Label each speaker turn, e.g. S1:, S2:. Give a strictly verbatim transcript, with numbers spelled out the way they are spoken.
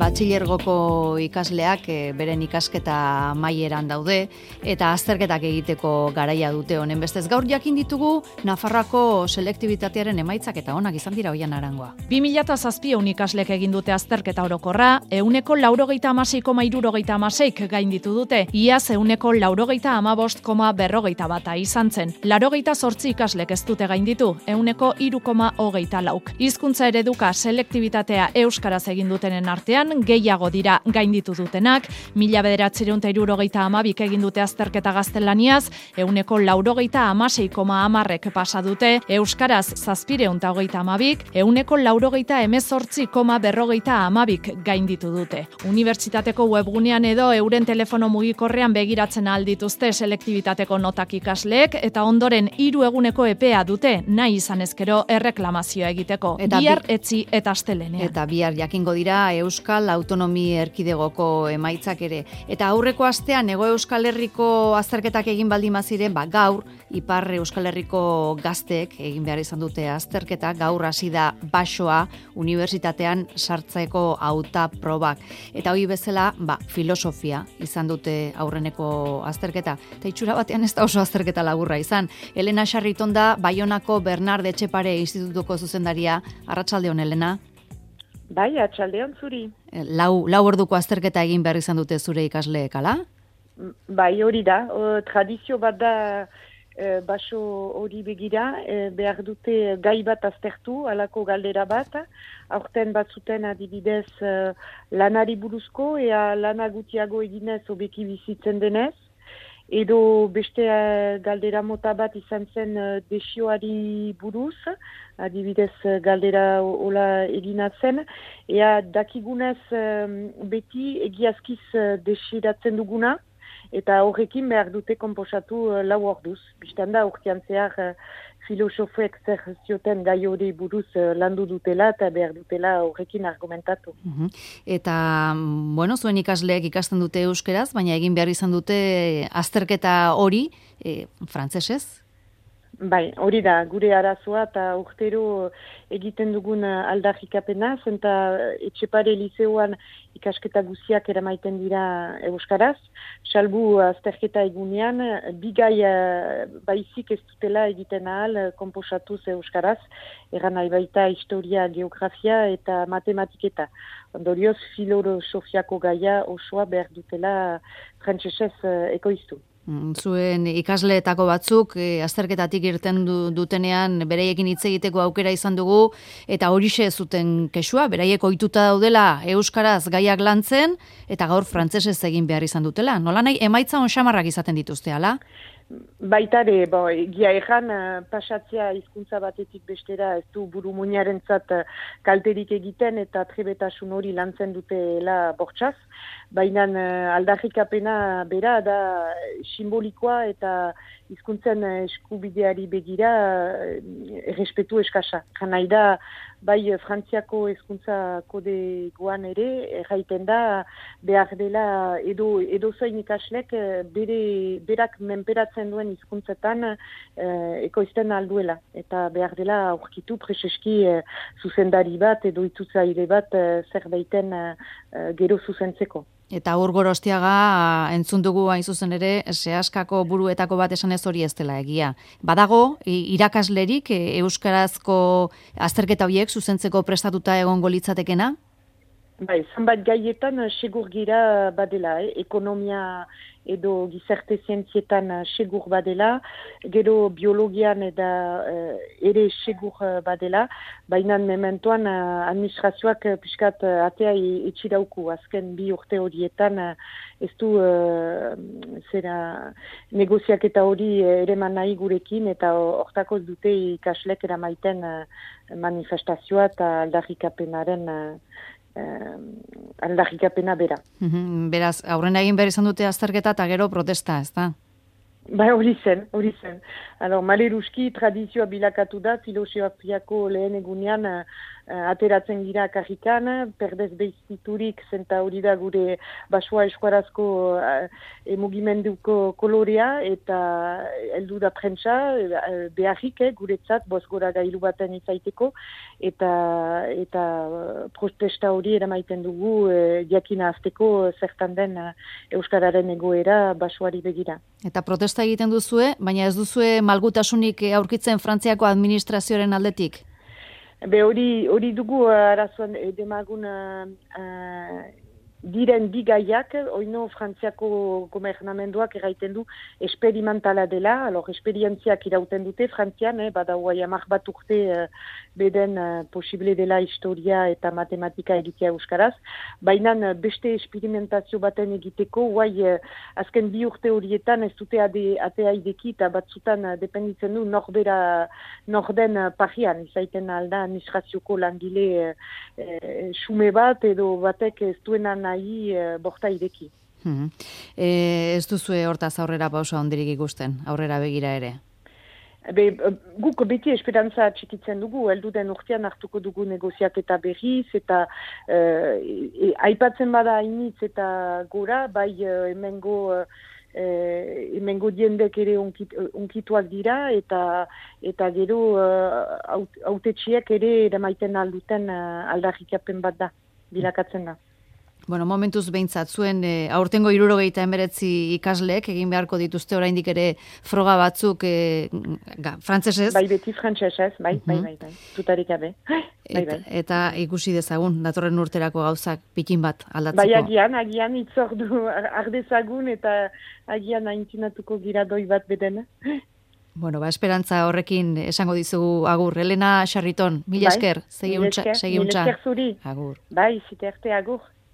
S1: batxilergoko ikasleak e, beren ikasketa maieran daude eta azterketak egiteko garaia dute honen bestez. Gaur jakin ditugu Nafarroako selektibitatearen emaitzak eta onak izan dira Oihan Arangoa.
S2: bi mila zazpiehun ikaslek egin dute azterketa orokorra, ehuneko laurogeita hamasei koma hirurogeita hamaseik gainditu dute, iaz ehuneko laurogeita hamabost koma berrogeita bata izan zen. Laurogeita zortzi ikaslek ez dute gainditu, ehuneko hiru koma hogeita lauk. Hizkuntza ereduka selektibitatea euskaraz egin dutenen artean gehiago dira gainditu dutenak, mila bederatziehun eta hirurogeita hamabik egin dute azterketa gaztelaniaz, ehuneko laurogeita hamasei koma hamarrek pasa dute, euskaraz zazpiehun eta hogeita hamabik, ehuneko laurogeita hemezortzi koma berrogeita hamabik gainditu dute. Unibertsitateko webgunean edo euren telefono mugikorrean begiratzen ahal dituzte selektibitateko notak ikasleek eta ondoren hiru eguneko epea dute nahi izan ezkero erreklamazioa egiteko.
S1: Eta
S2: bihar
S1: bi-
S2: etzi eta astelenean.
S1: Eta bihar jakingo dira Euskal Autonomi Erkidegoko emaitzak ere. Eta aurreko astean Hego Euskal Herriko azterketak egin baldin baziren, ba gaur Ipar Euskal Herriko gazteek egin behar izan dute azterketa, gaur hasi da basoa unibertsitatean sartzeko hauta probak. Eta hori bezala, ba, filosofia izan dute aurreneko azterketa. Eta itxura batean ez da oso azterketa laburra izan. Elena Sarriton da Baionako Bernard Etxepare Institutuko zuzendaria. Arratsaldeon, Elena.
S3: Bai, atxaldeon zuri.
S1: Lau, lau orduko azterketa egin behar izan dute zure ikasleek, ala?
S3: Bai, hori da. O, tradizio bat da e, baso hori begira, e, behar dute gai bat aztertu, alako galdera bat. Aurten batzuten adibidez e, lanari buruzko, ea lana gutiago eginez obeki bizitzen denez. Edo beste uh, galdera mota bat izan zen uh, desioari buruz, adibidez uh, galdera hola egina zen, ea dakigunez um, beti egiazkiz uh, desiratzen duguna, eta horrekin behar dute konposatu uh, lau orduz. Bistan da, urtean zehar uh, filosofek zer zioten gai hori buruz uh, landu dutela eta behar dutela horrekin argumentatu.
S1: Uhum. Eta, bueno, zuen ikasleek ikasten dute euskeraz, baina egin behar izan dute azterketa hori e, frantsesez?
S3: Bai, hori da, gure arazoa eta urtero egiten dugun aldarrikapena, zenta Etxepare lizeoan ikasketa guziak eramaiten dira euskaraz, salbu azterketa egunean, bigai baizik ez dutela egiten ahal konposatuz euskaraz, eran nahi baita historia, geografia eta matematiketa. Ondorioz, filosofiako gaia osoa behar dutela frantsesez ekoiztu.
S1: Zuen ikasleetako batzuk e, azterketatik irten du, dutenean bereiekin hitz egiteko aukera izan dugu eta horixe zuten kexua, beraiek ohituta daudela euskaraz gaiak lantzen eta gaur frantsesez egin behar izan dutela. Nola nahi emaitza onxamarrak izaten dituzte, ala?
S3: Baitare, bo, egia erran, pasatzea hizkuntza batetik bestera ez du buru muinarentzat kalterik egiten eta trebetasun hori lantzen dutela bortxaz. Baina aldarrikapena bera da simbolikoa eta hizkuntzen eskubideari begira errespetu eskasa. Janai da, bai Frantziako hizkuntza kodegoan ere, erraiten da behar dela edo, edo zoin ikaslek bere, berak menperatzen duen hizkuntzetan eh, ekoizten alduela. Eta behar dela aurkitu preseski eh, zuzendari bat edo itutzaile bat eh, zerbaiten eh, gero zuzentzeko.
S1: Eta Ur Gorostiaga entzun dugu hain zuzen ere, sehaskako buruetako bat esan ez hori ez dela egia. Badago, irakaslerik euskarazko azterketa horiek zuzentzeko prestatuta egongo litzatekena?
S3: Bai, zanbat gaietan segur gira badela, eh? Ekonomia edo gizarte zientzietan segur badela, gero biologian eta eh, ere segur badela, baina mementoan administrazioak piskat atea etxirauku, azken bi urte horietan ez du uh, zera negoziaketa hori ereman nahi gurekin eta hortako dute ikaslek eramaiten uh, manifestazioa eta aldarrikapenaren uh, Uh, aldarrikapena bera.
S1: Uhum, beraz, aurrena egin behar izan dute azterketa eta gero protesta, ez da?
S3: Ba, hori zen, hori zen. Alors, maleruski, tradizioa bilakatu da, filosofiako lehen egunean uh, ateratzen gira karrikan, perdez behiziturik zenta hori da gure basua eskuarazko uh, mugimenduko kolorea, eta heldu da prentsa, uh, beharrik eh, guretzat, boz gora gailu baten izaiteko, eta, eta protesta hori eramaiten dugu uh, jakina azteko zertan den uh, euskararen egoera basuari begira.
S1: Eta protesta egiten duzue, baina ez duzue malgutasunik aurkitzen Frantziako administrazioaren aldetik?
S3: Be hori hori dugu arazoan demagun uh, uh, diren bigaiak, oino Frantziako gobernamenduak erraiten du esperimentala dela, alor esperientziak irauten dute Frantzian, eh, bada guai amak bat urte uh, beden uh, posible dela historia eta matematika egitea euskaraz, baina uh, beste experimentazio baten egiteko, guai uh, azken bi urte horietan ez dute ade, atea ideki eta batzutan uh, dependitzen du norbera norden uh, parian, izaiten alda administrazioko langile uh, uh, xume bat edo batek ez duenan nahi uh, borta ideki.
S1: Hmm. E, ez duzue hortaz aurrera pausa ondirik ikusten, aurrera begira ere?
S3: Be, guk beti esperantza txikitzen dugu, helduden urtean hartuko dugu negoziaketa berriz, eta uh, e, aipatzen bada initz eta gora, bai uh, hemengo uh, Eh, hemengo diendek ere unkit, unkituak dira, eta eta gero uh, autetxiek ere eramaiten alduten uh, aldarrikapen bat da, bilakatzen da.
S1: Bueno, momentuz behintzat, zuen e, aurtengo hirurogeita hemeretzi ikasleek egin beharko dituzte oraindik ere froga batzuk e, ga, frantsesez.
S3: Bai, beti frantsesez, bai, uh-huh. bai, bai, bai, tutarik gabe. Bai,
S1: eta, bai. Eta ikusi dezagun, datorren urterako gauzak pikin bat aldatzeko.
S3: Bai, agian, agian itzordu ardezagun eta agian aintzinatuko gira doi bat beden.
S1: Bueno, ba, esperantza horrekin esango dizugu agur. Elena Xarriton, mila esker, segi untxa.
S3: Mila esker zuri.
S1: Agur.
S3: Bai, ziterte agur.